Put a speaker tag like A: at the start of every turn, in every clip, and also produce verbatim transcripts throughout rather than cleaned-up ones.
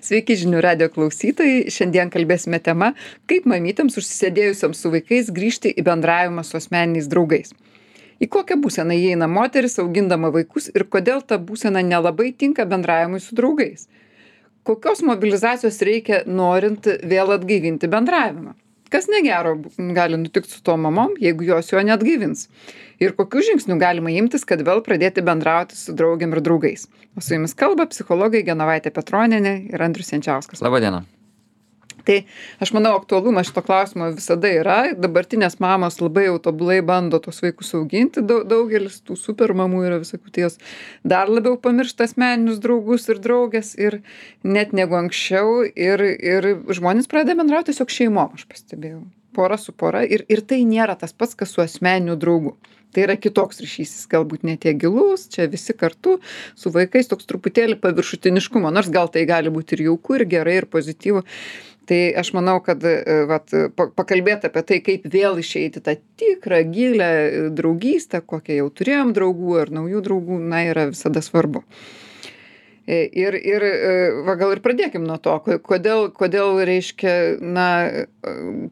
A: Sveiki žinių radijo klausytojai. Šiandien kalbėsime tema, kaip mamytėms užsisėdėjusiams su vaikais grįžti į bendravimą su asmeniniais draugais. Į kokią būseną įeina moteris augindama vaikus ir kodėl ta būsena nelabai tinka bendravimui su draugais. Kokios mobilizacijos reikia norint vėl atgaivinti bendravimą. Kas negero gali nutikti su to mamom, jeigu jos jo neatgaivins. Ir kokių žingsnių galima imtis, kad vėl pradėti bendrauti su draugiam ir draugais. O su jumis kalba psichologai Genovaitė Petronienė ir Andrius Jančiauskas.
B: Labą dieną.
A: Tai aš manau, aktualumas šito klausimo visada yra. Dabartinės mamos labai jau tobulai bando tos vaikus auginti. Daugelis tų super mamų yra visokių, tai jos dar labiau pamiršta asmeninius draugus ir draugės ir net negu anksčiau. Ir, ir žmonės pradeda bendrauti tiesiog šeimom, aš pastebėjau. Pora su pora. Ir, ir tai nėra tas pats, kas su asmeniniu draugu. Tai yra kitoks ryšys, jis galbūt ne tiek gilus, čia visi kartu su vaikais toks truputėlį paviršutiniškumo, nors gal tai gali būti ir jauku, ir gerai, ir pozityvu. Tai aš manau, kad vat, pakalbėti apie tai, kaip vėl išeiti tą tikrą, gilę draugystę, kokią jau turėjom draugų ar naujų draugų, na, yra visada svarbu. Ir, ir va, gal ir pradėkim nuo to, kodėl, kodėl reiškia, na,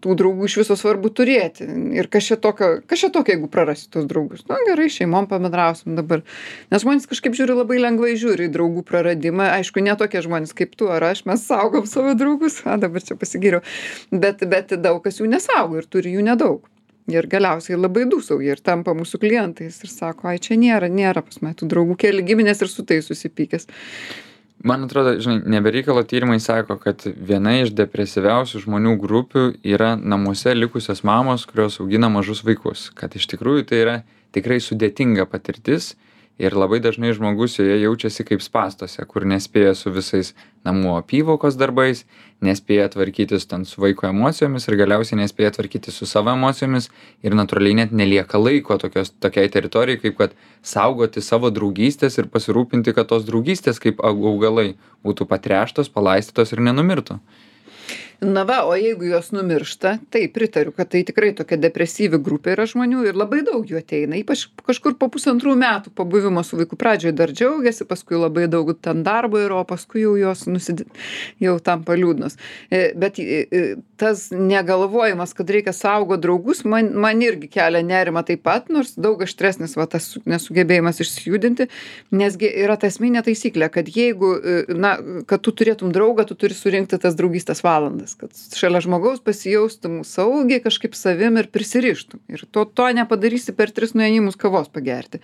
A: tų draugų iš viso svarbu turėti. Ir kas čia tokio, kas čia tokio, jeigu prarasi tos draugus. Na, gerai, šeimom pabendrausim dabar. Nes žmonės kažkaip žiūri, labai lengvai žiūri į draugų praradimą. Aišku, ne tokie žmonės kaip tu ar aš, mes saugom savo draugus. A, dabar čia pasigyriau. Bet, bet daug kas jų nesaugo ir turi jų nedaug. Ir galiausiai labai dūsauja ir tampa mūsų klientais ir sako, ai čia nėra, nėra pas mane tų draugų, keli giminės ir su tai susipykęs.
B: Man atrodo, žinai, nebereikalo tyrimai sako, kad viena iš depresyviausių žmonių grupių yra namuose likusios mamos, kurios augina mažus vaikus. Kad iš tikrųjų tai yra tikrai sudėtinga patirtis ir labai dažnai žmogus joje jaučiasi kaip spąstuose, kur nespėja su visais namų apyvokos darbais, nespėja tvarkytis ten su vaiko emocijomis ir galiausiai nespėja tvarkytis su savo emocijomis ir natūraliai net nelieka laiko tokios, tokiai teritorijai, kaip kad saugoti savo draugystės ir pasirūpinti, kad tos draugystės kaip augalai būtų patręštos, palaistytos ir nenumirtų.
A: Na va, o jeigu jos numiršta, tai pritariu, kad tai tikrai tokia depresyvi grupė yra žmonių ir labai daug jų ateina, ypač kažkur po pusantrų metų pabuvimo su vaiku pradžioje dar džiaugiasi, paskui labai daug ten darbo yra, o paskui jau jos nusid... jau tampa liūdnos. Bet tas negalvojimas, kad reikia saugo draugus, man, man irgi kelia nerimą taip pat, nors daug aštresnis va, tas nesugebėjimas išsijudinti, nesgi yra ta esminė taisyklė, kad jeigu, na, kad tu turėtum draugą, tu turi surinkti tas draugystės valandas, kad šalia žmogaus pasijaustum saugiai kažkaip savim ir prisirištum. Ir to, to nepadarysi per tris nuėjimus kavos pagerti.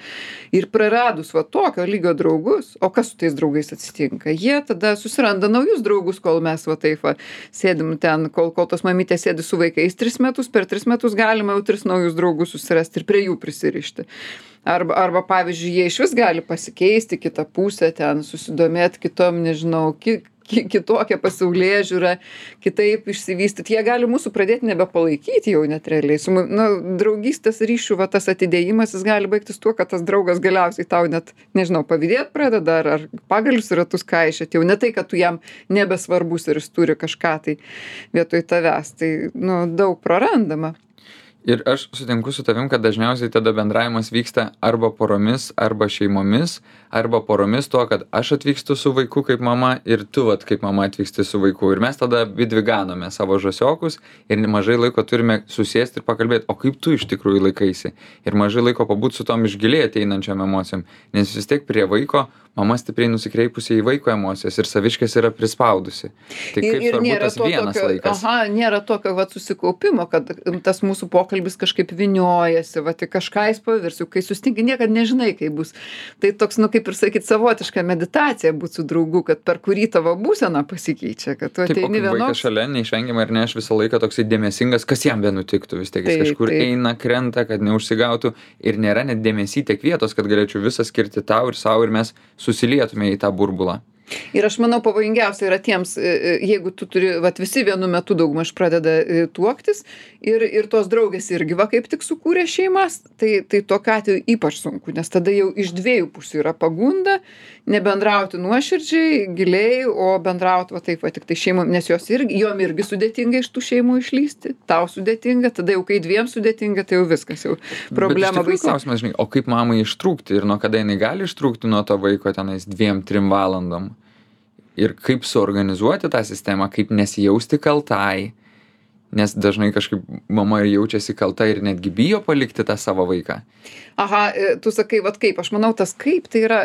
A: Ir praradus va tokio lygio draugus, o kas su tais draugais atsitinka? Jie tada susiranda naujus draugus, kol mes va taip va sėdim ten, kol, kol tos mamytės sėdi su vaikais tris metus, per tris metus galima jau tris naujus draugus susirasti ir prie jų prisirišti. Arba, arba pavyzdžiui, jie iš vis gali pasikeisti kitą pusę, ten susidomėti kitom, nežinau, ki, ki, kitokią pasaulėžiūrą, kitaip išsivystyti. Jie gali mūsų pradėti nebepalaikyti jau net realiai. Su, nu, draugystės ryšių, va, tas atidėjimas, jis gali baigtis tuo, kad tas draugas galiausiai tau net, nežinau, pavydėt pradeda ar, ar pagalius ratus kaišėt. Jau ne tai, kad tu jam nebesvarbus ir jis turi kažką tai vietoj tavęs. Tai, nu, daug prarandama.
B: Ir aš sutinku su tavim, kad dažniausiai tada bendravimas vyksta arba poromis, arba šeimomis, arba poromis tuo, kad aš atvykstu su vaiku kaip mama ir tu vat kaip mama atvyksti su vaiku. Ir mes tada vidvi ganome savo žasiokus ir mažai laiko turime susėsti ir pakalbėti, o kaip tu iš tikrųjų laikaisi. Ir mažai laiko pabūti su tom iš giliai ateinančiom emocijom. Nes vis tiek prie vaiko mama stipriai nusikreipusi į vaiko emocijas ir saviškės yra prispaudusi. Tai kaip
A: ir, ir
B: svarbu tas
A: to
B: vienas
A: tokio,
B: laikas.
A: Aha, nėra tokio vat, susikaupimo, kad tas mūsų pokalbis kažkaip viniojasi, vat, kažką jis pavirs, kai sustinki, niekad nežinai, kaip bus. Tai toks, nu kaip ir sakyt, savotiška meditacija būti su draugu, kad per kurį tavo būsena pasikeičia, kad tu ateini vienoks.
B: Taip, vaikas šalia, neišvengiamai ar ne, aš visą laiką toksai dėmesingas, kas jam benutiktų, vis tiek jis
A: Taip,
B: kažkur
A: taip.
B: eina, krenta, kad neužsigautų ir nėra net dėmesy tiek vietos, kad galėčiau visą skirti tau ir savo ir mes susilietume į tą burbulą.
A: Ir aš manau, pavojingiausia yra tiems, jeigu tu turi, vat visi vienu metu daugmaž pradeda tuoktis ir, ir tos draugės irgi va kaip tik sukūrė šeimas, tai, tai tokiu atveju ypač sunku, nes tada jau iš dviejų pusių yra pagunda, nebendrauti nuoširdžiai, giliai, o bendrauti va taip va tik tai šeimom, nes jos irgi, jom irgi sudėtinga iš tų šeimų išlysti, tau sudėtinga, tada jau kai dviem sudėtinga, tai jau viskas, jau problema
B: baisi. Klausimas, žinai, o kaip mamai ištrūkti ir nuo kada jinai gali ištrūkti nuo to vaiko tenais dviem, trim valandom? ir kaip suorganizuoti tą sistemą, kaip nesijausti kaltai, nes dažnai kažkaip mama jaučiasi kalta ir netgi bijo palikti tą savo vaiką.
A: Aha, tu sakai, vat kaip, aš manau, tas kaip tai yra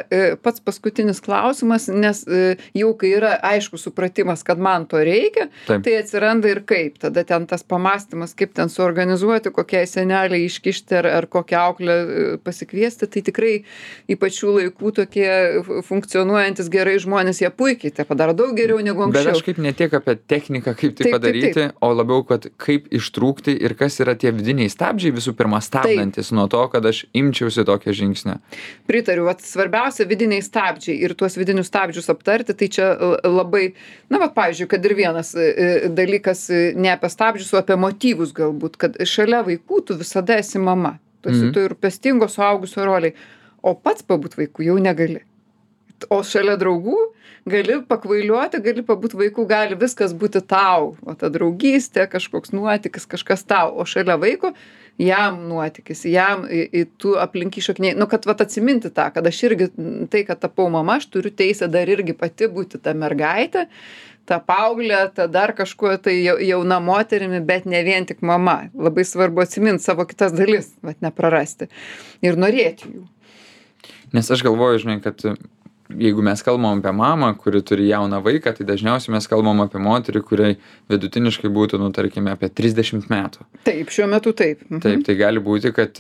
A: pats paskutinis klausimas, nes jau kai yra aišku supratimas, kad man to reikia,
B: Taip.
A: tai atsiranda ir kaip. Tada ten tas pamastymas, kaip ten suorganizuoti, kokiai seneliai iškišti ar, ar kokią auklę pasikviesti, tai tikrai ypač šių laikų tokie funkcionuojantis gerai žmonės, jie puikiai tai padaro daug geriau negu anksčiau.
B: Bet aš kaip ne tiek apie techniką, kaip tai
A: Taip,
B: padaryti,
A: taip, taip.
B: o labiau, kad kaip ištrūkti ir kas yra tie vidiniai stabdžiai visų pirma stabdantis nuo to, kad aš imčiausi tokio žingsnio.
A: Pritariu, vat svarbiausia vidiniai stabdžiai ir tuos vidinius stabdžius aptarti, tai čia labai, na, vat pavyzdžiui, kad ir vienas dalykas ne apie stabdžius, o apie motyvus galbūt, kad šalia vaikų tu visada esi mama, tu esi
B: Mhm.
A: tu ir pestingo suaugusio roliai, o pats pabūt vaikų jau negali. O šalia draugų gali pakvailiuoti, gali pabūt vaikų, gali viskas būti tau, o ta draugystė, kažkoks nuotykis, kažkas tau, o šalia vaiko jam nuotykis, jam į, į tų aplink išakniai, nu, kad vat atsiminti tą, kad aš irgi, tai, kad tapau mama, aš turiu teisę dar irgi pati būti ta mergaitė, ta paauglė, ta dar kažkuo tai jauna moterimi, bet ne vien tik mama. Labai svarbu atsiminti savo kitas dalis, vat neprarasti ir norėti jų.
B: Nes aš galvoju, žinai, kad jeigu mes kalbam apie mamą, kuri turi jauną vaiką, tai dažniausiai mes kalbam apie moterį, kuriai vidutiniškai būtų, nu, tarkime, apie trisdešimt metų.
A: Taip, šiuo metu taip. Mhm.
B: Taip, tai gali būti, kad,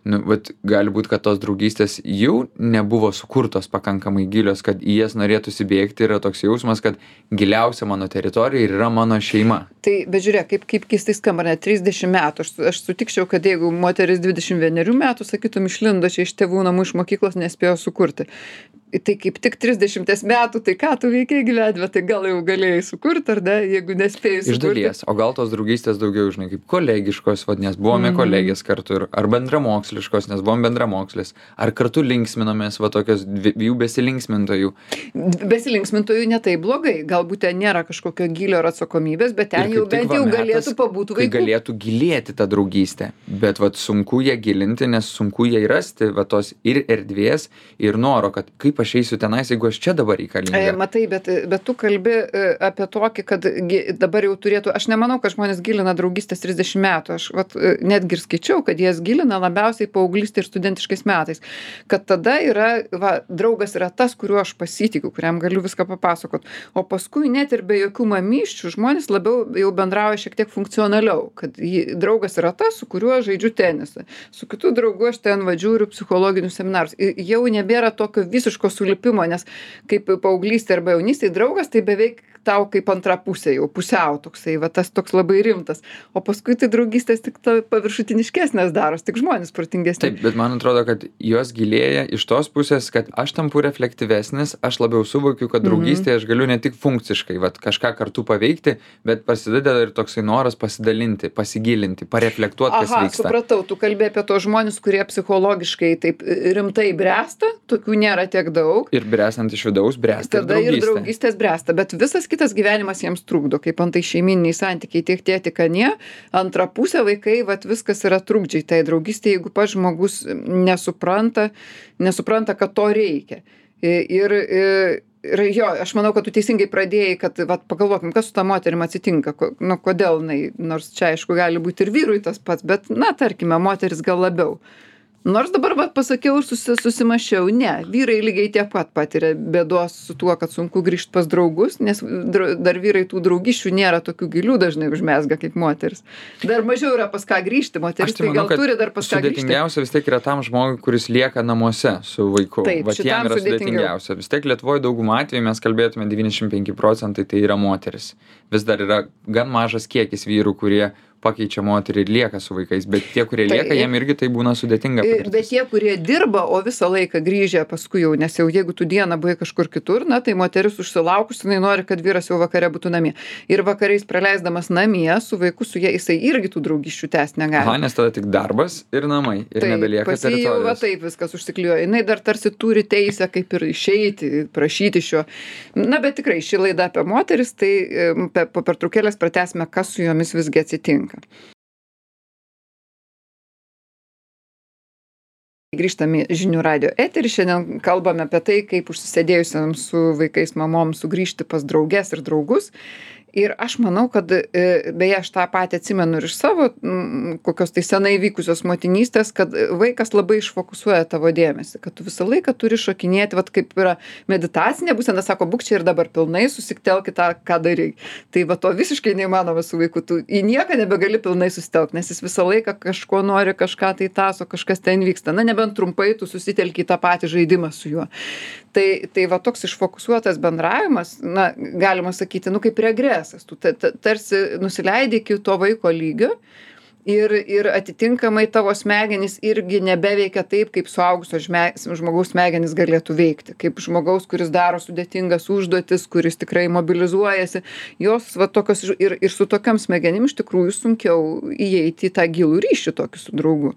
B: nu, vat, gali būti, kad tos draugystės jau nebuvo sukurtos pakankamai gilios, kad į jas norėtųsi bėgti, yra toks jausmas, kad giliausia mano teritorija ir yra mano šeima.
A: Tai, bet žiūrėk, kaip, kaip keistai skamba, ne trisdešimt metų. Aš, aš sutikčiau, kad jeigu moteris dvidešimt vienerių metų, sakytum, išlindo čia iš tėvų namų, iš mokyklos, nespėjo sukurti. Tai kaip tik trisdešimties metų, tai ką tu veikiai gyvenime, tai gal jau galėjai sukurti, ar ne, jeigu nespėjai sukurti.
B: Iš dalies, o gal tos draugystės daugiau, žinai, kaip kolegiškos, vad, nes buvome
A: Mhm.
B: kolegės kartu, ir, ar bendramoksliškos, nes buvom bendramokslis, ar kartu linksminomės, va, tokios dviejų besilinksmintojų.
A: Besilinksmintojų ne taip blogai, galbūt ten nėra kažkokio gylio ar atsakomybės, bet ten
B: Ir
A: jau
B: kaip tik
A: bent
B: va
A: jau
B: metas,
A: galėtų pabūti
B: kai
A: vaikų.
B: galėtų gilėti ta draugystė, bet vat sunku ją gilinti, nes sunku ją rasti, va tos ir erdvės, ir noro, kad kaip aš eisiu tenais, jeigu aš čia dabar
A: E,
B: reikalinga.
A: matai, bet, bet tu kalbi e, apie tokį, kad gi- dabar jau turėtų, aš nemanau, kad žmonės gilina draugystės trisdešimt metų, aš vat, e, netgi ir skaičiau, kad jas gilina labiausiai paauglystė ir studentiškais metais, kad tada yra, va, draugas yra tas, kuriuo aš pasitikiu, kuriam galiu viską papasakot, o paskui net ir be jokių mamyščių žmonės labiau jau bendrauja šiek tiek funkcionaliau, kad jį, draugas yra tas, su kuriuo žaidžiu tenisą, su kitu draugu aš ten vadžiūriu psichologinius seminarus, I- jau nebėra tokio visiško sulipimo, nes kaip paauglystė arba jaunystė draugas, tai beveik tau kaip antra pusė, jau pusiau toksai, va tas toks labai rimtas, o paskui tai draugystės tik ta paviršutiniškesnės daros, tik žmonės protingesni.
B: Taip, bet man atrodo, kad jos gilėja iš tos pusės, kad aš tampu reflektyvesnis, aš labiau suvokiu, kad draugystėje aš galiu ne tik funkciškai, vat, kažką kartu paveikti, bet prasideda ir toksai noras pasidalinti, pasigilinti, pareflektuoti, kas
A: Aha,
B: vyksta.
A: supratau, tu kalbė apie tos žmonės, kurie psichologiškai taip rimtai bręsta, tokių nėra tiek daug.
B: Ir bręstant iš vidaus, bręsta ir
A: Tada ir
B: draugystė.
A: draugystės bręsta, bet visas kitas gyvenimas jiems trukdo, kaip antai šeiminiai santykiai tiek tėti, kad ne, antra pusė vaikai, vat viskas yra trukdžiai tai draugystė, jeigu pats žmogus nesupranta, nesupranta, kad to reikia. Ir, ir, ir jo, aš manau, kad tu teisingai pradėjai, kad vat, pagalvokim, kas su ta moterim atsitinka, ko, nu, kodėl, jinai, nors čia aišku gali būti ir vyrui tas pats, bet, na, tarkime, moteris gal labiau. Nors dabar va, pasakiau ir susi, susimašiau, ne, vyrai lygiai tiek pat patiria bėdos su tuo, kad sunku grįžti pas draugus, nes dra, dar vyrai tų draugiščių nėra tokių gilių dažnai užmesga kaip moteris. Dar mažiau yra pas ką grįžti, moteris
B: Aš tai
A: tai
B: manau,
A: gal
B: kad
A: turi dar pas ką grįžti.
B: sudėtingiausia vis tiek yra tam žmogui, kuris lieka namuose su vaiku.
A: Taip,
B: Vat
A: šitam
B: jam yra
A: sudėtingiau.
B: sudėtingiausia. Vis tiek Lietuvoje daugumą atvejų mes kalbėtume devyniasdešimt penki procentai tai yra moteris. Vis dar yra gan mažas kiekis vyrų, kurie pakeičia moterį ir lieka su vaikais, bet tie, kurie
A: Tai-
B: lieka, jiem irgi tai būna sudėtinga.
A: Ir-
B: patirtis.
A: Bet tie, kurie dirba, o visą laiką grįžę paskui jau, nes jau jeigu tu dieną buvai kažkur kitur, na, tai moteris užsilaukus, jinai nori, kad vyras jau vakare būtų namie. Ir vakarais praleisdamas namie su vaiku, su jie, jisai irgi tų draugiščių tęsti negali.
B: Aha, nes tada tik darbas ir namai. Ir nebelieka
A: pas jį jau va
B: teritorijos.
A: taip viskas užsiklijuoja. Jinai dar tarsi turi teisę kaip ir išeiti, prašyti šio. Na, bet tikrai ši laida apie moteris, tai em, pe- po pertraukėlės pratęsime, kas su jomis visgi atsitinka. Grįžtame į žinių radijo eterį. Šiandien kalbame apie tai, kaip užsisėdėjusiam su vaikais mamom sugrįžti pas drauges ir draugus. Ir aš manau, kad, beje, aš tą patį atsimenu ir iš savo kokios tai senai vykusios motinystės, kad vaikas labai išfokusuoja tavo dėmesį, kad tu visą laiką turi šokinėti, vat kaip yra meditacinė būsena, sako, būk čia ir dabar pilnai, susitelk į tą, ką darai. Tai va to visiškai neįmanoma su vaiku, tu į nieką nebegali pilnai susitelkti, nes jis visą laiką kažko nori, kažką tai taso, kažkas ten vyksta. Na, nebent trumpai tu susitelki į tą patį žaidimą su juo. Tai, tai va toks išfokusuotas bendravimas, na, galima sakyti, nu kaip regresas. Tu tarsi nusileidi iki to vaiko lygio ir, ir atitinkamai tavo smegenys irgi nebeveikia taip, kaip suaugusio žmogaus smegenys galėtų veikti. Kaip žmogaus, kuris daro sudėtingas užduotis, kuris tikrai mobilizuojasi. Jos va tokios ir, ir su tokiam smegenim iš tikrųjų sunkiau įeiti į tą gilų ryšį tokį su draugu.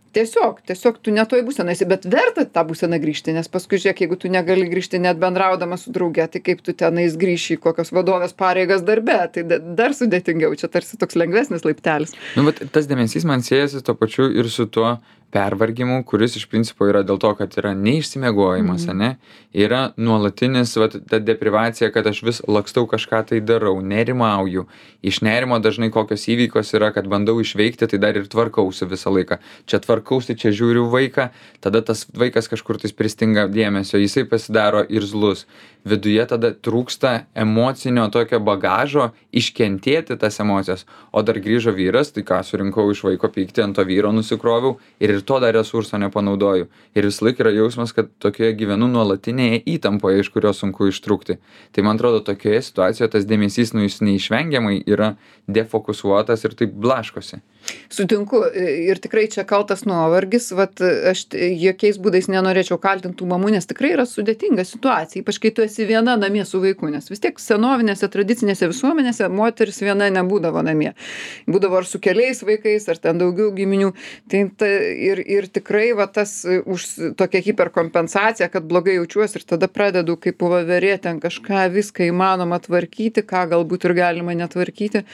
A: Tiesiog, tiesiog tu ne toj būsenai esi, bet verta tą būseną grįžti, nes paskui žiūrėk, jeigu tu negali grįžti net bendraudama su drauge, tai kaip tu tenais grįši į kokios vadovės pareigas darbe, tai dar sudėtingiau, čia tarsi toks lengvesnis laiptelis.
B: Nu, bet tas dėmesys man siejasi tuo pačiu ir su tuo pervargimu, kuris iš principo yra dėl to, kad yra neišsimiegojimas, mm. ne? Yra nuolatinis, vat, ta deprivacija, kad aš vis lakstau kažką tai darau, nerimauju. Iš nerimo dažnai kokios įvykos yra, kad bandau išveikti, tai dar ir tvarkausi visą laiką. Čia tvarkausi, čia žiūriu vaiką, tada tas vaikas kažkur tais pristinga dėmesio, jisai pasidaro irzlus. Viduje tada trūksta emocinio tokio bagažo iškentėti tas emocijas. O dar grįžo vyras, tai ką, surinkau iš vaiko pyktį, ant to vyro nusikroviau ir ir to dar resurso nepanaudoju. Ir vis laik yra jausmas, kad tokioje gyvenu nuolatinėje įtampoje, iš kurios sunku ištrūkti. Tai man atrodo, tokioje situacijoje tas dėmesys, nu, jis neišvengiamai yra defokusuotas ir taip blaškosi.
A: Sutinku ir tikrai čia kaltas nuovargis, vat aš jokiais būdais nenorėčiau kaltinti tų mamų, nes tikrai yra sudėtinga situacija, ypač kai tu esi viena namie su vaiku, nes vis tiek senovinėse, tradicinėse visuomenėse moteris viena nebūdavo namie. Būdavo ar su keliais vaikais, ar ten daugiau giminių. Tai, tai, ir, ir tikrai va, tas už tokia hiperkompensacija, kad blogai jaučiuosi ir tada pradedu kaip voverė ten kažką viską įmanoma tvarkyti, ką galbūt ir galima netvarkyti.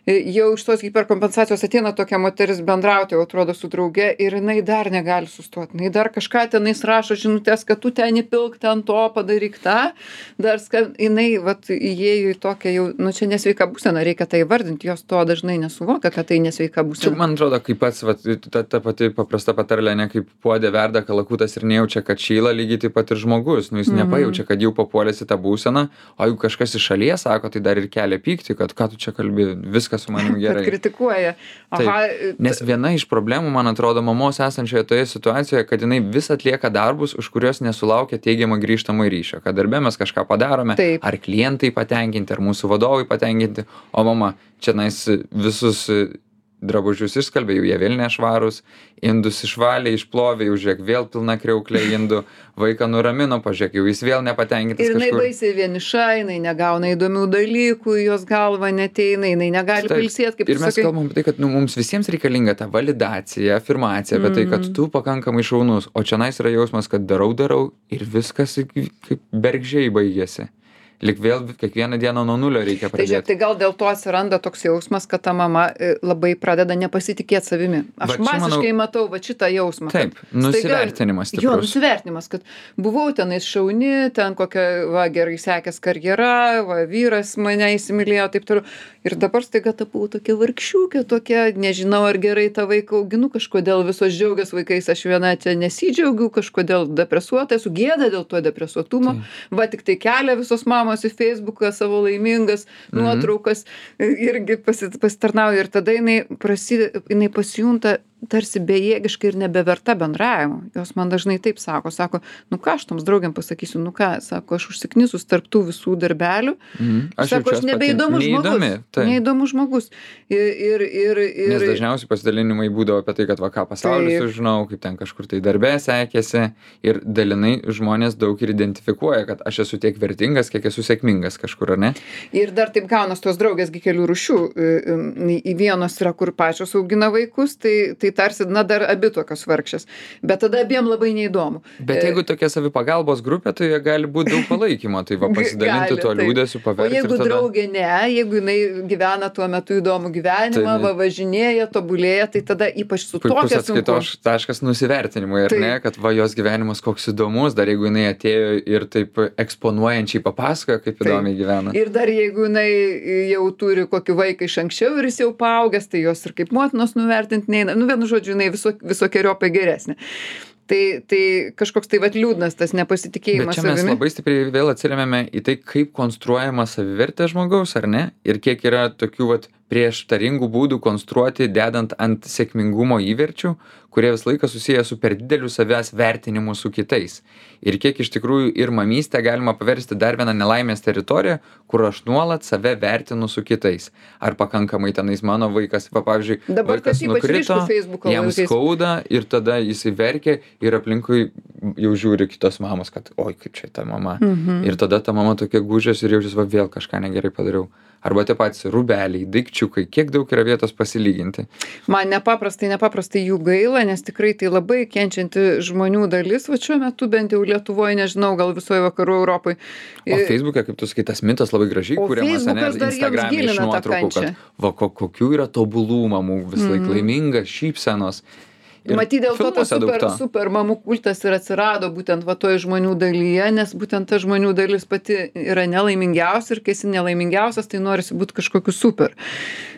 A: Jau iš tos hiperkompensacijos ateina tokia moteris bendrauti, jau atrodo su drauge ir jinai dar negali sustoti. Jinai dar kažką tenais rašo žinutės, kad tu ten įpilk, ten to padaryk tą. Dar skam, jinai vat, įėjo į tokią jau, nu čia nesveika būsena, reikia tai vardinti, jos to dažnai nesuvokia, kad tai nesveika būsena.
B: Čia man atrodo, kaip pats, vat, ta, ta pati paprasta patarlė, ne kaip puodė verda kalakutas ir nejaučia, kad šyla, lygiai taip pat ir žmogus. Nu, jis mm-hmm. nepajaučia, kad jau papuolėsi tą būseną, o jeigu kažkas iš šalies sako, tai dar ir kelia pyktį, kad ką tu čia kalbi, viskas su manim gerai.
A: Kad kritikuoja. Aha,
B: nes viena iš problemų, man atrodo, mamos esančioje toje situacijoje, kad jinai vis atlieka darbus, už kuriuos nesulaukia teigiamą grįžtamą ryšio. Kad darbe mes kažką padarome,
A: taip.
B: Ar klientai patenkinti, ar mūsų vadovai patenkinti, o mama čia nais visus drabužius išskalbė, jau jie vėl nešvarūs, indus išvalė, išplovė, jau žiūrėk, vėl pilna kriauklė indų, vaiką nuramino, pažiūrėk, jau jis vėl nepatenkintas
A: kažkur. Ir jinai
B: kažkur.
A: baisiai vieniša, jinai negauna įdomių dalykų, jos galva neteina, jinai negali pailsėti, kaip
B: ir mes
A: sakai.
B: Kalbam apie tai, kad nu, mums visiems reikalinga ta validacija, afirmacija apie mm. tai, kad tu pakankamai šaunus, o čia nais yra jausmas, kad darau, darau ir viskas kaip bergžiai baigėsi. Lik vėl kiekvieną dieną nuo nulio reikia pradėti.
A: Tai, žiūrėk, tai gal dėl to atsiranda toks jausmas, kad ta mama labai pradeda nepasitikėti savimi. Aš va, masiškai manau, matau va šitą jausmą.
B: Taip, nusivertinimas stiprus.
A: Jo, nusivertinimas, kad buvau tenais šauni, ten kokia, va, gerai sekės karjera, va, vyras mane įsimylėjo, taip toliau. Ir dabar staiga tapau tokia vargšiukė, tokia, nežinau, ar gerai tą vaiką auginu, kažkodėl visos džiaugias vaikais, aš viena čia nesidžiaugiu, kažkodėl depresuota, esu gėda dėl to depresuotumo. Tai. Va, tik tai kelia visos mamos į Facebooką savo laimingas mm-hmm. nuotraukas, irgi pasitarnauja ir tada jinai, prasidė, jinai pasijunta tarsi bejėgiškai ir nebeverta bendravimo. Jos man dažnai taip sako, sako, nu ką aš toms draugiam pasakysiu, nu ką, sako, aš užsiknisus tarp tų visų darbelių, mm. aš sako, aš nebeįdomus žmogus, tai. neįdomus žmogus. Ir, ir, ir, ir...
B: Nes dažniausiai pasidalinimai būdavo apie tai, kad va ką pasaulis sužinau, kaip ten kažkur tai darbė sekėsi ir dalinai žmonės daug ir identifikuoja, kad aš esu tiek vertingas, kiek esu sėkmingas kažkur, ar ne?
A: Ir dar taip gaunas tos draugės gi kelių rūšių. Į vienos yra, kur pačios augina vaikus, tai, tai tai tarsi, na, dar abi tokios vargšės. Bet tada abiem labai neįdomu.
B: Bet jeigu tokia savipagalbos grupė, tai jie gali būti daug palaikymo, tai va pasidalinti
A: Gali,
B: tuo
A: taip.
B: liūdėsiu, paverti.
A: O jeigu
B: ir tada...
A: draugė ne, jeigu jinai gyvena tuo metu įdomų gyvenimą,
B: Tai-
A: va, važinėja, tobulėja, tai tada ypač su
B: Puikus
A: tokia sunku.
B: atskaitos taškas nusivertinimui, ar
A: Taip.
B: ne, kad va jos gyvenimas koks įdomus, dar jeigu jinai atėjo ir taip eksponuojančiai papasakojo, kaip
A: Taip.
B: įdomiai gyvena.
A: Ir dar jeigu jinai jau turi kokį vaiką iš anksčiau ir jis jau paaugęs, tai jos ir kaip motinos nuvertinti neina. Nu, vienu žodžiu, jinai viso, visokiojopai geresnė. Tai, tai kažkoks tai vat liūdnas tas
B: Bet
A: nepasitikėjimas
B: čia mes
A: savimi.
B: labai stipriai vėl atsiremiame į tai, kaip konstruojama savivertė žmogaus, ar ne? Ir kiek yra tokių vat prieštaringų būdų konstruoti, dedant ant sėkmingumo įverčių, kurie visą laiką susiję su per dideliu savęs vertinimu su kitais. Ir kiek iš tikrųjų ir mamystę galima paversti dar vieną nelaimės teritoriją, kur aš nuolat save vertinu su kitais. Ar pakankamai tenais mano vaikas, va, pavyzdžiui,
A: Dabar
B: vaikas
A: tas ypač
B: nukrito,
A: ryšku Facebooko
B: jam
A: laikais.
B: skauda ir tada jisai verkia ir aplinkui jau žiūri kitos mamos, kad oi, kaip čia ta mama.
A: Mhm.
B: Ir tada ta mama tokia gūžiasi ir jaučiasi, va vėl kažką negerai padariau. Arba tie patys rūbeliai, daikčiukai, kiek daug yra vietos pasilyginti.
A: Man nepaprastai, nepaprastai jų gaila, nes tikrai tai labai kenčianti žmonių dalis, va šiuo metu bent jau Lietuvoje, nežinau, gal visoje vakarų Europoje.
B: O Facebook'e, kaip tu sakai, tas mitas labai gražiai
A: O
B: kuriamas, ane,
A: Facebookas dar jiems
B: Instagram'e iš
A: gilina tą
B: nuotraukų,
A: kančią.
B: kad va ko, kokių yra tobulų mamų, vis laik laimingas, šypsenos. Ir
A: Matyt, dėl to tas
B: filmuose daug
A: super,
B: to.
A: super mamų kultas ir atsirado būtent va toj žmonių dalyje, nes būtent ta žmonių dalis pati yra nelaimingiausia ir kai esi nelaimingiausias, tai norisi būti kažkokiu super.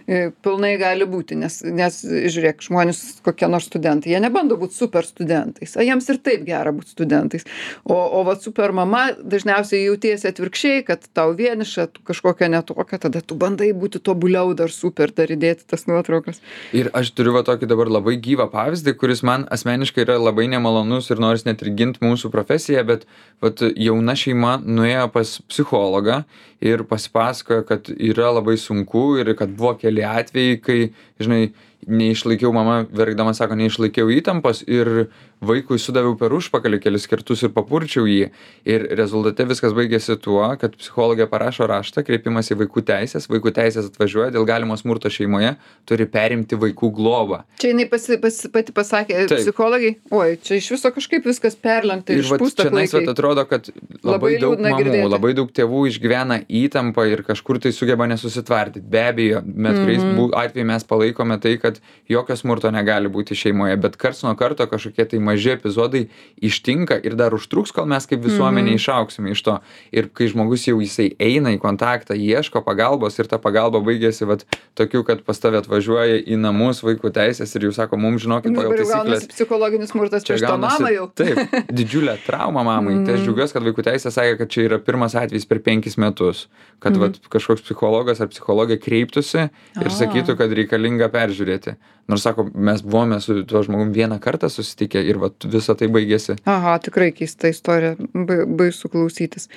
A: E, Pilnai gali būti, nes, nes žiūrėk, žmonės kokie nors studentai, jie nebando būti super studentais, o jiems ir taip gera būti studentais. O, o va super mama dažniausiai jautiesi atvirkščiai, kad tau vieniša, tu kažkokia netokia, tada tu bandai būti tobuliau dar super, dar įdėti tas nuotraukas.
B: Ir aš turiu va tokį dabar labai gyvą pavyzdį, kuris man asmeniškai yra labai nemalonus ir noris net ir ginti mūsų profesiją, bet vat, jauna šeima nuėjo pas psichologą ir pasipasakojo, kad yra labai sunku ir kad buvo keli atvejai, kai, žinai, neišlaikiau, mama verkdama sako, neišlaikiau įtampos ir vaikui sudaviau per užpakalį kelis kartus ir papurčiau jį. Ir rezultate viskas baigėsi tuo, kad psichologė parašo raštą, kreipimas į vaikų teisės, vaikų teisės atvažiuoja dėl galimo smurto šeimoje, turi perimti vaikų globą.
A: Čia jinai pasi, pasi, pati pasakė
B: Taip.
A: psichologai, oi, čia iš viso kažkaip viskas perlenkta ir
B: Ir vat
A: išpūsta
B: čia nais vat
A: klaikiai.
B: atrodo, kad labai,
A: Labai
B: daug
A: liūdna
B: mamų,
A: girdėti.
B: labai daug tėvų išgyvena įtampą ir kažkur tai sugeba nesusitvardyti. Be abejo, bet kuriais
A: Mhm.
B: mm -hmm. atveju mes palaikome tai, kad jokio smurto negali būti šeimoje, bet karts nuo karto kažkokie tai maži epizodai ištinka ir dar užtruks, kol mes kaip visuomenė išauksime iš to. Ir kai žmogus jau jisai eina į kontaktą, ieško pagalbos ir ta pagalba baigėsi vat tokiu, kad pas tave atvažiuoja į namus vaikų teisės ir jau sako, mums žinokit pagal
A: Dabar jau
B: taisyklės.
A: gaunasi psichologinis smurtas prieš tą mamą jau.
B: Taip, didžiulė trauma mamai. Tai aš džiaugiuosi, kad vaikų teisė sakė, kad čia yra pirmas atvejis per penkis metus. Kad
A: Mhm.
B: vat, kažkoks psichologas ar psichologė kreiptųsi ir
A: A.
B: sakytų, kad reikalinga peržiūrėti. Nors sako, mes buvome su tuo žmogum vieną kartą susitikę ir vat, visą tai baigėsi.
A: Aha, tikrai keista istorija, ba- baisu klausytis.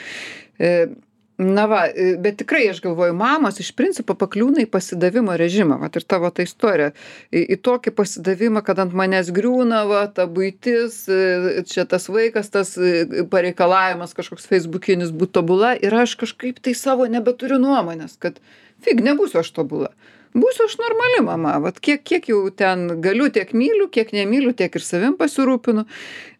A: E, Na va, e, bet tikrai aš galvoju, mamos iš principo pakliūna į pasidavimo režimą, vat ir tavo ta istorija, į, į tokį pasidavimą, kad ant manęs griūna, va, ta buitis, e, čia tas vaikas, tas e, pareikalavimas kažkoks feisbukinis būt tobula ir aš kažkaip tai savo nebeturiu nuomonės, kad fig, nebūsiu aš tobula. Būsiu aš normali mama, vat kiek, kiek jau ten galiu, tiek myliu, kiek nemyliu, tiek ir savim pasirūpinu,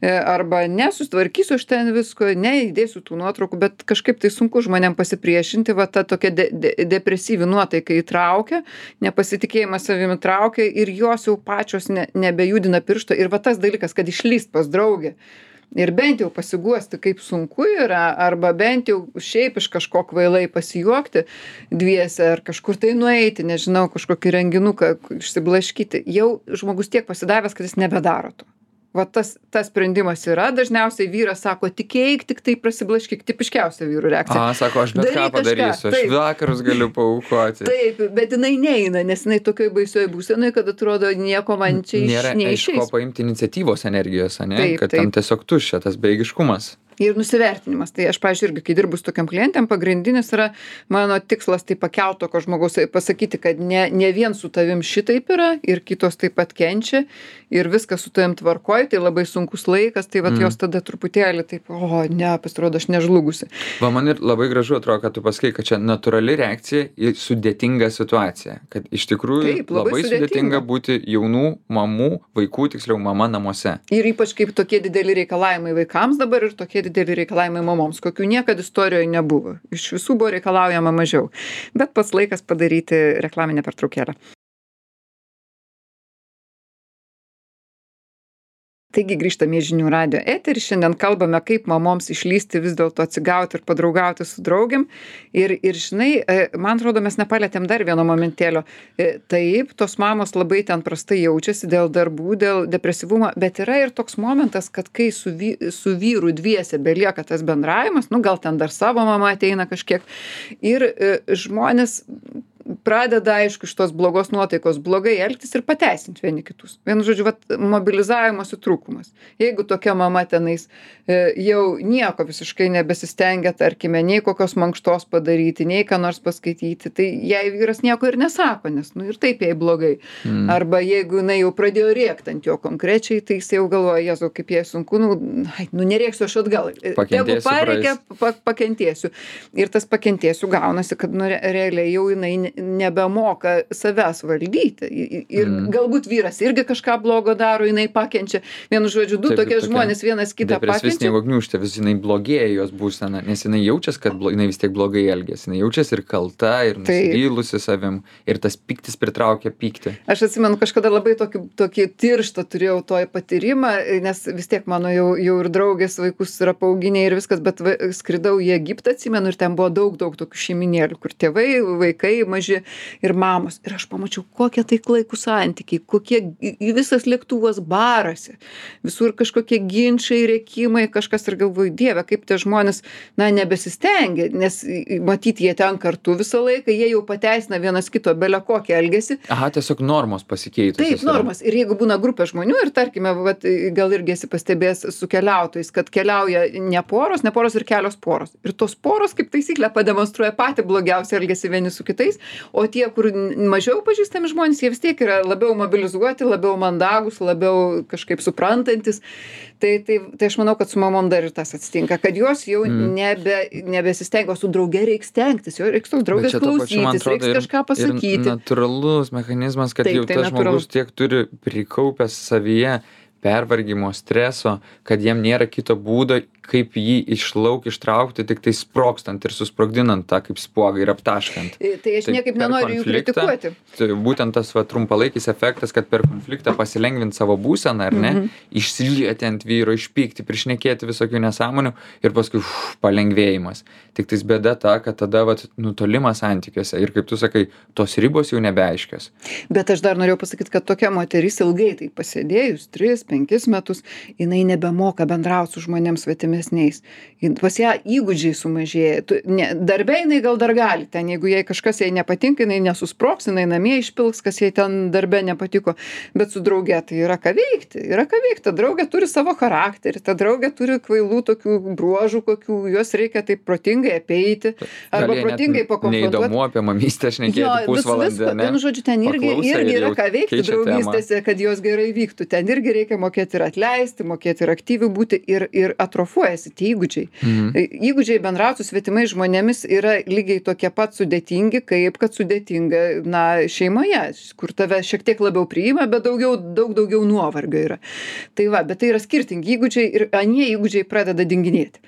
A: E, arba nesustvarkysiu aš ten visko, neįdėsiu tų nuotraukų, bet kažkaip tai sunku žmonėm pasipriešinti, va ta tokia de, de, depresyvi nuotaika įtraukia, nepasitikėjimas savimi traukia ir jos jau pačios ne, nebejudina piršto ir va tas dalykas, kad išlyst pas draugę. Ir bent jau pasiguosti, kaip sunku yra, arba bent jau šiaip iš kažko kvailai pasijuokti dviese, ar kažkur tai nueiti, nežinau, kažkokį renginuką išsiblaškyti. Jau žmogus tiek pasidavęs, kad jis nebedaro to. Va tas, tas sprendimas yra, dažniausiai vyras sako, tikėk, tik tai prasiblaškyk, tipiškiausia vyrų reakcija.
B: A, sako, aš bet
A: Daryk
B: ką
A: kažką,
B: padarysiu, aš
A: taip.
B: vakarus galiu paaukoti.
A: Taip, bet jinai neina, nes jinai tokioj baisioj būsenoj, kad atrodo nieko man čia iš,
B: Nėra iš ko
A: neišeis.
B: paimti iniciatyvos energijos, ane?
A: Taip,
B: kad
A: taip.
B: ten tiesiog tuščia tas beigiškumas.
A: Ir nusivertinimas. Tai aš, pavyzdžiui, irgi, kai dirbu su tokiam klientėm, pagrindinis yra mano tikslas tai pakelt tokio žmogaus, pasakyti, kad ne, ne vien su tavim šitaip yra ir kitos taip pat kenčia ir viskas su tavim tvarkoj, tai labai sunkus laikas, tai vat mm. jos tada truputėlį taip, o ne, pasirodo, aš nežlugusi.
B: Va, man ir labai gražu atrodo, kad tu pasakai, kad čia natūrali reakcija į sudėtingą situaciją. Kad iš tikrųjų taip, labai, labai sudėtinga. sudėtinga būti jaunų mamų, vaikų, tiksliau mama namuose.
A: Ir ypač kaip tokie dideli reikalavimai vaikams dabar ir tokie dideli reikalavimai mamoms, kokių niekada istorijoje nebuvo. Iš visų buvo reikalaujama mažiau. Bet pats laikas padaryti reklaminę pertraukėlę. Taigi grįžtame į žinių radijo eterį. Šiandien kalbame, kaip mamoms išlysti, vis dėlto atsigauti ir padraugauti su draugėm. Ir, ir žinai, man atrodo, mes nepalėtėm dar vieno momentėlio. Taip, tos mamos labai ten prastai jaučiasi dėl darbų, dėl depresyvumo, bet yra ir toks momentas, kad kai su, vy, su vyru dviese belieka tas bendravimas, nu gal ten dar savo mama ateina kažkiek, ir žmonės pradeda, aišku, iš tos blogos nuotaikos blogai elgtis ir pateisinti vieni kitus. Vienu žodžiu, vat, mobilizavimosi trūkumas. Jeigu tokia mama tenais e, jau nieko visiškai nebesistengia, tarkime, nei kokios mankštos padaryti, nei ką nors paskaityti, tai jai vyras nieko ir nesako, nes nu ir taip jai blogai. Mm. Arba jeigu jinai jau pradėjo rėkti ant jo konkrečiai, tai jis jau galvoja, Jėzau, kaip jai sunku, nu, ai, nu nerėksiu aš atgal. Jeigu pareikia, pa, pakentėsiu. Ir tas pakentėsiu gaunasi, kad nu, re, realiai jau jinai nebemoka savęs valdyti. Ir mm. galbūt vyras irgi kažką blogo daro, jinai pakenčia. Vienu žodžiu, du Taip, tokie tokia žmonės vienas kitą pakenčia.
B: Depresijos sniego gniūžtė, vis jinai blogėja jos būsena, nes jinai jaučias, kad blo, jinai vis tiek blogai elgiasi. Jinai jaučias ir kalta, ir nusivylusi savim, ir tas pyktis pritraukia pyktį.
A: Aš atsimenu, kažkada labai tokį, tokį tirštą turėjau toj patyrimą, nes vis tiek mano jau, jau ir draugės vaikus yra paauginę ir viskas, bet va, skridau į Egiptą, atsimenu, ir ten buvo daug, daug tokių šeiminėlių, kur tėvai, vaikai, maži ir mamos. Ir aš pamačiau, kokie tai klaikų santykiai, kokie visas lėktuvas barasi, visur kažkokie ginčiai, rėkimai, kažkas ir galvoju, Dieve, kaip tie žmonės, na, nebesistengia, nes matyti jie ten kartu visą laiką, jie jau pateisina vienas kito belę kokį elgesį.
B: Aha, tiesiog normos pasikeitusios.
A: Taip, normos. Ir jeigu būna grupė žmonių ir tarkime, vat, gal irgi esi pastebėjęs su keliautojais, kad keliauja ne poros, ne poros ir kelios poros. Ir tos poros, kaip taisyklė, pademonstruoja patį blogiausią elgesį vieni su kitais, o tie, kur mažiau pažįstami žmonės, jie vis tiek yra labiau mobilizuoti, labiau mandagus, labiau kažkaip suprantantis. Tai, tai, tai aš manau, kad su mamom dar ir tas atsitinka, kad jos jau mm. nebe, nebesistengia, o su drauge reiks stengtis, jo reiks tos draugės klausytis, reiks kažką pasakyti.
B: Ir natūralus mechanizmas, kad Taip, jau tas žmogus tiek turi prikaupęs savyje pervargimo, streso, kad jiem nėra kito būdo, kaip jį išlauk, ištraukti, tik tai sprogstant ir susprogdinant tą kaip spuogą ir aptaškant.
A: Tai aš tai niekaip nenoriu jų kritikuoti.
B: Tai būtent tas va, trumpalaikis efektas, kad per konfliktą pasilengvinti savo būseną, ar ne, mm-hmm. išsilieti ant vyro, išpykti, prišnekėti visokių nesąmonių ir paskui uf, palengvėjimas. Tik tais bėda ta, kad tada va, nutolimas santykiuose ir kaip tu sakai, tos ribos jau nebeaiškios.
A: Bet aš dar norėjau pasakyti, kad tokia moteris ilgai tai pasėdėjus, tris, penkis metus, jinai nebemoka bendrauti su žmonėms svetimesniais. Pas ją įgūdžiai sumažėja. Tu, ne, darbė jinai gal dar gali, ten jeigu jai kažkas jai nepatinka, jinai nesusproks, jinai namie išpilks, kas jai ten darbė nepatiko, bet su drauge tai yra ką veikti, yra ką veikti. Ta draugė turi savo charakterį, ta draugė turi kvailų tokių bruožų, kokių juos reikia taip protingai apeiti, arba
B: Gali
A: protingai pakonfrontuoti.
B: Neįdomu apie mamystę šnekėti pusvalandį, ne?
A: Vienu žodžiu, ten irgi, irgi yra ką veikti draugystėse, kad jos gerai vyktų. Ten irgi reikia mokėti ir atleisti, mokėti ir aktyviai būti ir, ir atrofuojasi tie įgūdžiai. Mhm. Įgūdžiai bendrauti su svetimais žmonėmis yra lygiai tokie pat sudėtingi, kaip kad sudėtinga, na, šeimoje, kur tave šiek tiek labiau priima, bet daugiau, daug daugiau nuovargio yra. Tai va, bet tai yra skirtingi įgūdžiai ir anie įgūdžiai pradeda dinginėti.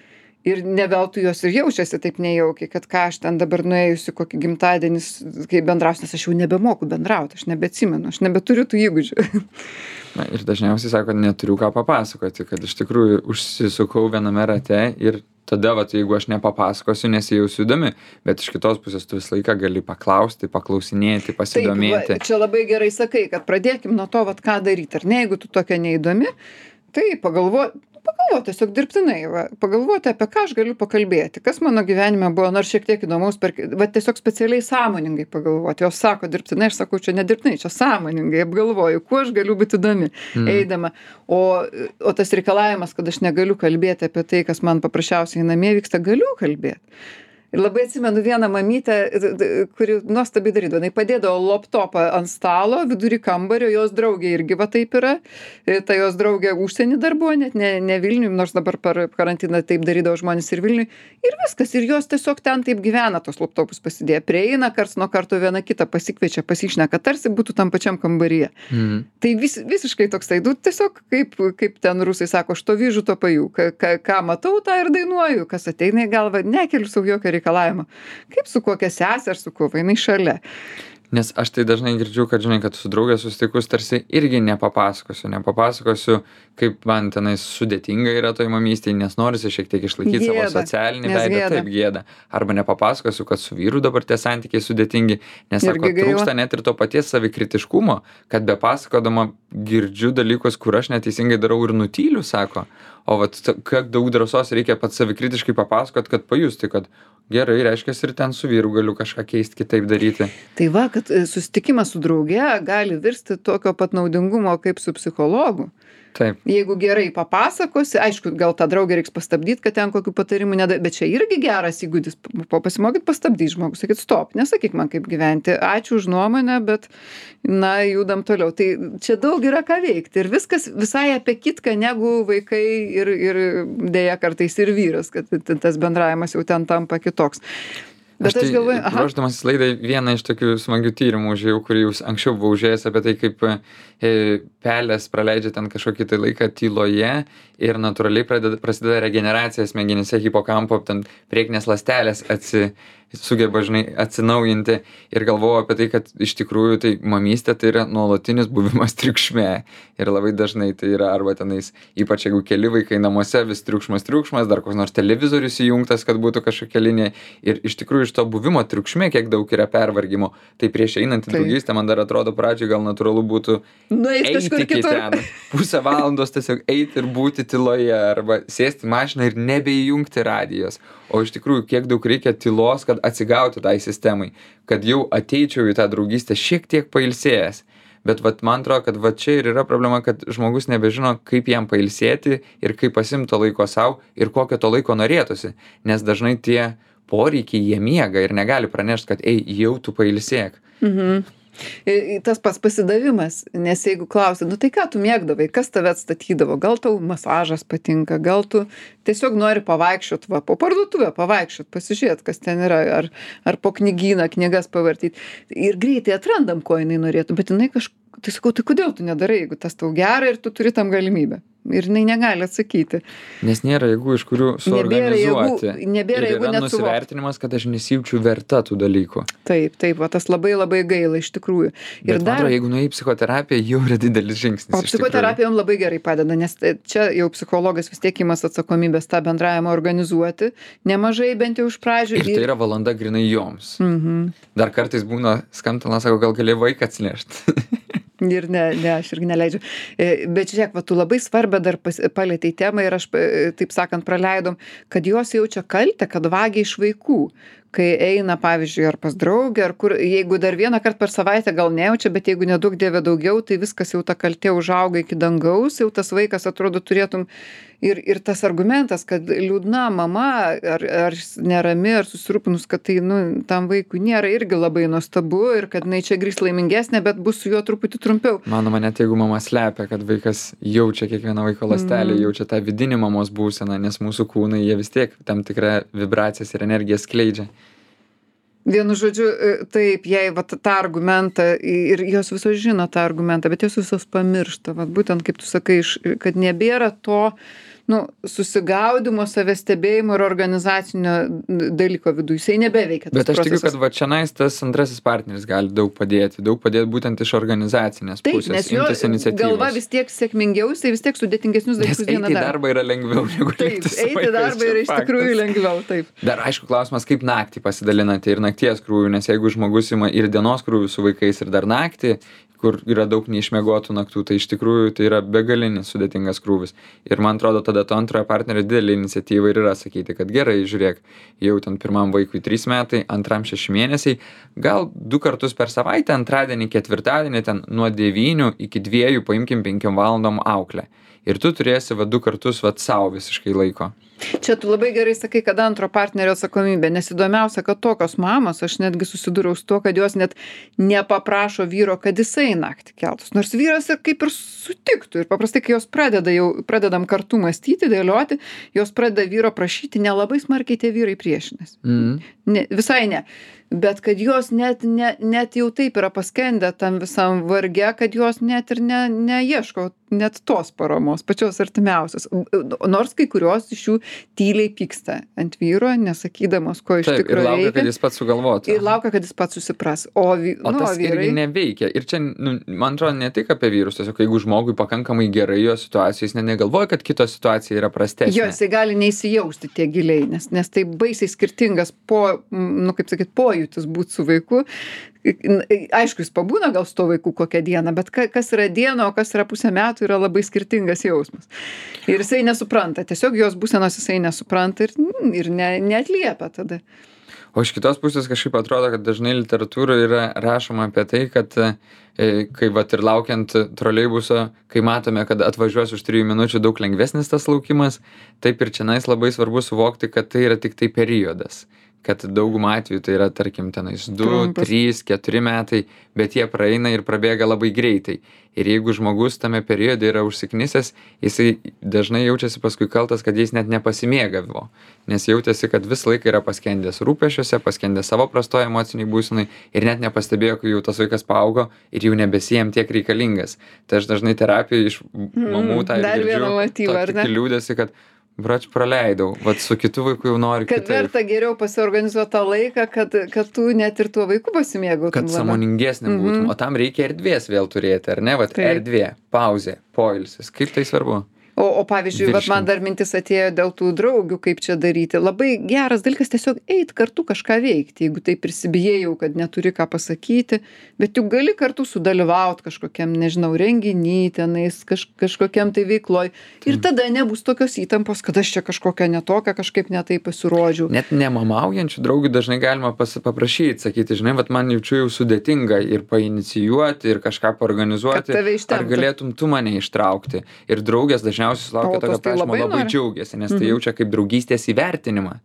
A: Ir ne veltui jos ir jaučiasi taip nejaukiai, kad ką aš ten dabar nuėjusi kokį gimtadienis, kai bendrausiu, nes aš jau nebemoku bendrauti, aš nebeatsimenu, aš nebeturiu tų įgūdžių.
B: Na, ir dažniausiai sako, neturiu ką papasakoti, kad iš tikrųjų užsisukau viename rate ir tada, vat, jeigu aš nepapasakosiu, nesijausiu įdomi, bet iš kitos pusės tu visą laiką gali paklausti, paklausinėti, pasidomėti.
A: Taip, va, čia labai gerai sakai, kad pradėkim nuo to, vat, ką daryti. Ar ne, jeigu tu tokia neįdomi, tai pagalvo, pagalvoti tiesiog dirbtinai, va, pagalvoti, apie ką aš galiu pakalbėti, kas mano gyvenime buvo, nors šiek tiek įdomaus, per, va, tiesiog specialiai sąmoningai pagalvoti. Jos sako dirbtinai, aš sakau, čia nedirbtinai, čia sąmoningai apgalvoju, kuo aš galiu būti įdomi, mm. eidama. O, o tas reikalavimas, kad aš negaliu kalbėti apie tai, kas man paprasčiausiai namie vyksta, galiu kalbėti. Ir labai atsimenu vieną mamytę, kuri nuostabiai darydavo. Jinai padėdavo laptopą ant stalo, vidury kambario, jos draugė irgi va taip yra. Ta jos draugė užsienį dar buvo, net ne, ne Vilniui, nors dabar per karantiną taip darydavo žmonės ir Vilniui. Ir viskas, ir jos tiesiog ten taip gyvena, tos laptopus pasidėję. Prieina karts nuo karto vieną kitą, pasikviečia, pasišneka, tarsi būtų tam pačiam kambaryje. Mm. Tai vis, visiškai toksai, du, tiesiog kaip, kaip ten rusai sako, aš to vyžu, to pajų. Ką, ką, ką matau, tą ir dainuoju, kas ateina į galvą, nekeliu savo jokio reikalavimo. Kaip su kokia sesė ar su kuo, jinai šalia.
B: Nes aš tai dažnai girdžiu, kad, žinai, kad su draugė susitikus tarsi irgi nepapasakosiu, nepapasakosiu, kaip man tenais sudėtinga yra toj mamystėje, nes norisi šiek tiek išlaikyti gėda, savo socialinį veidą, taip gėda. Arba nepapasakosiu, kad su vyru dabar tie santykiai sudėtingi, nes sako, trūksta net ir to paties savikritiškumo, kad be pasakodama girdžiu dalykus, kur aš neteisingai darau ir nutyliu, sako. O vat, kiek daug drąsos reikia pats savikritiškai papasakot, kad pajusti, kad gerai, reiškia, ir ten su vyru galiu kažką keisti, kitaip daryti.
A: Tai va, kad susitikimas su drauge gali virsti tokio pat naudingumo kaip su psichologu.
B: Taip.
A: Jeigu gerai papasakosi, aišku, gal tą draugę reiks pastabdyti, kad ten kokių patarimų nedai, bet čia irgi geras įgūdis, pasimokyt pastabdyti žmogus, sakyt, stop, nesakyk man kaip gyventi, ačiū už nuomonę, bet, na, judam toliau. Tai čia daug yra ką veikti ir viskas visai apie kitką negu vaikai ir, ir dėja kartais ir vyras, kad tas bendravimas jau ten tampa kitoks. Bet
B: aš,
A: aš galvoju,
B: tai, ruošdamas laidai, vieną iš tokių smagių tyrimų užėjau, kurį jūs anksčiau buvau užėjęs apie tai, kaip e, pelės praleidžia ten kažkokį tai laiką tyloje ir natūraliai pradeda, prasideda regeneracija smegenyse, hipokampo, ten priekinės ląstelės atsi, sugeba, žinai, atsinaujinti ir galvojau apie tai, kad iš tikrųjų tai mamystė tai yra nuolatinis buvimas triukšme ir labai dažnai tai yra arba tenais, ypač jeigu keli vaikai namuose, vis triukšmas, triukšmas, dar koks nors televizorius įjungtas, kad būtų kažkokia linija ir iš tikrųjų iš to buvimo triukšme, kiek daug yra pervargimo, tai prieš einant į draugystę man dar atrodo pradžiai gal natūralu būtų
A: eiti
B: iki ten, pusę valandos tiesiog eiti ir būti tyloje arba sėsti į mašiną ir nebeįjungti radijos. O iš tikrųjų, kiek daug reikia tylos, kad atsigauti tai sistemai, kad jau ateičiau į tą draugystę šiek tiek pailsėjęs. Bet vat, man atrodo, kad vat čia ir yra problema, kad žmogus nebežino, kaip jam pailsėti ir kaip pasimto laiko savo ir kokio to laiko norėtųsi. Nes dažnai tie poreikiai jie miega ir negali pranešti, kad ei, jau tu pailsėk.
A: Mhm. Tas pats pasidavimas, nes jeigu klausi, nu tai ką tu mėgdavai, kas tave atstatydavo, gal tau masažas patinka, gal tu tiesiog nori pavaikščiot, va, po parduotuvę pavaikščiot, pasižiūrėt, kas ten yra, ar, ar po knygyną, knygas pavartyti. Ir greitai atrandam, ko jinai norėtų, bet jinai kažkaip, tai sakau, tai kodėl tu nedarai, jeigu tas tau gera ir tu turi tam galimybę. Ir jinai negali atsakyti.
B: Nes nėra jėgų, iš kurių suorganizuoti.
A: Nebėra jėgų, nebėra
B: ir
A: jėgų
B: yra nusivertinimas, kad aš nesijaučiu verta tų dalykų.
A: Taip, taip, va, tas labai labai gaila iš tikrųjų. Ir
B: Bet
A: dar,
B: man atrodo, jeigu nuėjai į psichoterapiją, jau yra didelis žingsnis.
A: O psichoterapija jums labai gerai padeda, nes čia jau psichologas vis tiek imas atsakomybės tą bendravimą organizuoti, nemažai bent jau iš pradžių.
B: Ir tai yra valanda grinai joms.
A: Mhm.
B: Dar kartais būna skambina, sako, gal gali vaiką atsinešti.
A: Ir ne, ne, aš irgi neleidžiu. Bet žiūrėk, va, tu labai svarbę dar pas, palėtei temą ir aš, taip sakant, praleidom, kad jos jaučia kaltę, kad vagia iš vaikų. Kai eina, pavyzdžiui, ar pas draugę, ar kur, jeigu dar vieną kartą per savaitę gal nejaučia, bet jeigu nedaug dievė daugiau, tai viskas jau ta kaltė užauga iki dangaus, jau tas vaikas atrodo turėtum. Ir, ir tas argumentas, kad liūdna mama, ar, ar nerami, ar susirūpinus, kad tai, nu, tam vaikui nėra irgi labai nuostabu ir kad jinai čia grįžt laimingesnė, bet bus su juo truputį trumpiau.
B: Manoma, net jeigu mama slepia, kad vaikas jaučia kiekvieną vaiko ląstelę, mm. jaučia tą vidinį mamos būseną, nes mūsų kūnai, jie vis tiek tam tikrą vibracijas ir energiją skleidžia.
A: Vienu žodžiu, taip, jei va, tą argumentą, ir jos visos žino tą argumentą, bet jos visos pamiršta, va, būtent kaip tu sakai, kad nebėra to, nu, susigaudimo, savęs stebėjimo ir organizacinio dalyko viduje. Jisai nebeveikia.
B: Bet aš tikiu,
A: procesas.
B: kad va čionais tas antrasis partneris gali daug padėti, daug padėti būtent iš organizacinės
A: Taip,
B: pusės,
A: nes jo
B: imtis iniciatyvos.
A: galva vis tiek sėkmingiau, jisai vis tiek sudėtingesnius
B: Nes
A: dalykus
B: eiti
A: dieną
B: į
A: daro.
B: darbą yra lengviau negu
A: Taip,
B: likti su
A: eiti į
B: vaikais,
A: darbą
B: čia
A: yra iš
B: faktas.
A: tikrųjų lengviau, taip.
B: Dar aišku klausimas, kaip naktį pasidalinate ir nakties krūvių, nes jeigu žmogus ima ir dienos krūvių su vaikais ir dar naktį, kur yra daug neišmiegotų naktų, tai iš tikrųjų tai yra begalinis sudėtingas krūvis. Ir man atrodo, tada to antrojo partnerio didelė iniciatyva ir yra sakyti, kad gerai, žiūrėk, jau ten pirmam vaikui trys metai, antram šeši mėnesiai, gal du kartus per savaitę, antradienį, ketvirtadienį, ten nuo devynių iki dviejų paimkim penkiom valandom auklę. Ir tu turėsi va du kartus va sau visiškai laiko.
A: Čia tu labai gerai sakai, kad antro partnerio atsakomybė, nes įdomiausia, kad tokios mamos, aš netgi susidūriau su to, kad jos net nepaprašo vyro, kad jisai naktį keltus. Nors vyras ir kaip ir sutiktų. Ir paprastai, kai jos pradeda jau, pradedam kartu mąstyti, dėlioti, jos pradeda vyro prašyti, nelabai smarkiai tie vyrai priešinasi.
B: Mm.
A: Ne, visai ne. Bet kad jos net, ne, net jau taip yra paskendę tam visam varge, kad jos net ir ne, neieško net tos paramos, pačios artimiausios. Nors kai kurios iš jų tyliai pyksta ant vyro, nesakydamos, ko iš
B: Taip,
A: tikrųjų
B: ir laukia,
A: reikia.
B: kad jis pats sugalvotų.
A: Ir laukia, kad jis pats susipras. O, vy,
B: O
A: nu,
B: tas
A: o vyrai...
B: irgi neveikia. Ir čia, nu, man atrodo, ne tik apie vyrus, tiesiog jeigu žmogui pakankamai gerai jo situacija, jis ne negalvoja, kad kito situacija yra prastesnė.
A: Jo, jisai gali neįsijausti tie giliai, nes, nes tai baisiai skirtingas po, nu, kaip sakyt, pojūtis būti su vaiku. Aišku, jis pabūna gal su to vaiku kokią dieną, bet ka, kas yra diena, o kas yra pusę metų, yra labai skirtingas jausmas. Ir jisai nesupranta, tiesiog jos būsenos jisai nesupranta ir, ir ne, neatliepia tada.
B: O iš kitos pusės kažkaip atrodo, kad dažnai literatūroje yra rašoma apie tai, kad e, kai vat ir laukiant troleibuso, kai matome, kad atvažiuos už trijų minučių daug lengvesnis tas laukimas, taip ir čionais labai svarbu suvokti, kad tai yra tik tai periodas. Kad daugumą atveju tai yra, tarkim, tenais du, trys, keturi metai, bet jie praeina ir prabėga labai greitai. Ir jeigu žmogus tame periode yra užsiknisęs, jisai dažnai jaučiasi paskui kaltas, kad jis net nepasimėgavo. Nes jautėsi, kad vis laiką yra paskendęs rūpesčiuose, paskendęs savo prastoje emociniai būsenai ir net nepastebėjo, kai jau tas vaikas paaugo ir jau nebesijam tiek reikalingas. Tai aš dažnai terapiją iš mamų tą ir
A: Dar
B: girdžiu,
A: vieną motyvą, ar ne?
B: tokį liūdėsi, kad brač praleidau, vat su kitu vaiku jau noriu
A: Kad
B: kitaip.
A: verta geriau pasiorganizuoti tą laiką, kad, kad tu net ir tuo vaiku pasimėgautum.
B: Kad sąmoningesnė būtum,
A: Mhm.
B: o tam reikia erdvės vėl turėti, ar ne? Vat
A: Taip.
B: erdvė, pauzė, poilsis. Kaip tai svarbu?
A: O, o pavyzdžiui, vat man
B: Virškint.
A: dar mintis atėjo dėl tų draugių, kaip čia daryti. Labai geras dalykas tiesiog eit kartu kažką veikti, jeigu tai prisibijėjau, kad neturi ką pasakyti, bet juk gali kartu sudalyvauti kažkokiam, nežinau, renginy, tenais, kaž, kažkokiam tai veikloj. Ir tada nebus tokios įtampos, kad aš čia kažkokia netokia, kažkaip netai pasirodžiau.
B: Net nemamaujančių draugių dažnai galima pas, paprašyti, sakyti, žinai, vat man jaučiu jau sudėtinga ir painicijuoti, ir kažką paorganizuoti.
A: Kad tave
B: Ar
A: ištemptų.
B: galėtum tu mane ištraukti? Ir draugės dažniausiai sulaukia
A: O tos
B: tokio
A: tai
B: prašymo,
A: labai
B: labai
A: nori.
B: džiaugiasi, nes tai jaučia kaip draugystės įvertinimą.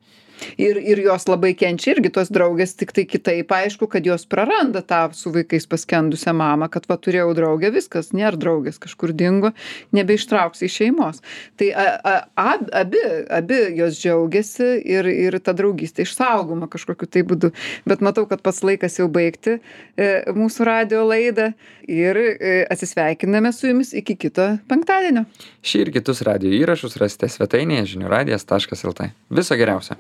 A: Ir, ir jos labai kenčia irgi tos draugės, tik tai kitaip aišku, kad jos praranda tą su vaikais paskendusią mamą, kad va turėjau draugę, viskas, nėra draugės, kažkur dingo, nebeištrauksi iš šeimos. Tai a, a, ab, abi, abi jos džiaugiasi ir, ir ta draugystė išsaugoma kažkokiu tai būdu. Bet matau, kad pats laikas jau baigti e, mūsų radio laidą ir e, atsisveikiname su jumis iki kito penktadienio.
B: Šį ir kitus radio įrašus rasite svetainėje žinių radijas taškas lt. Viso geriausio.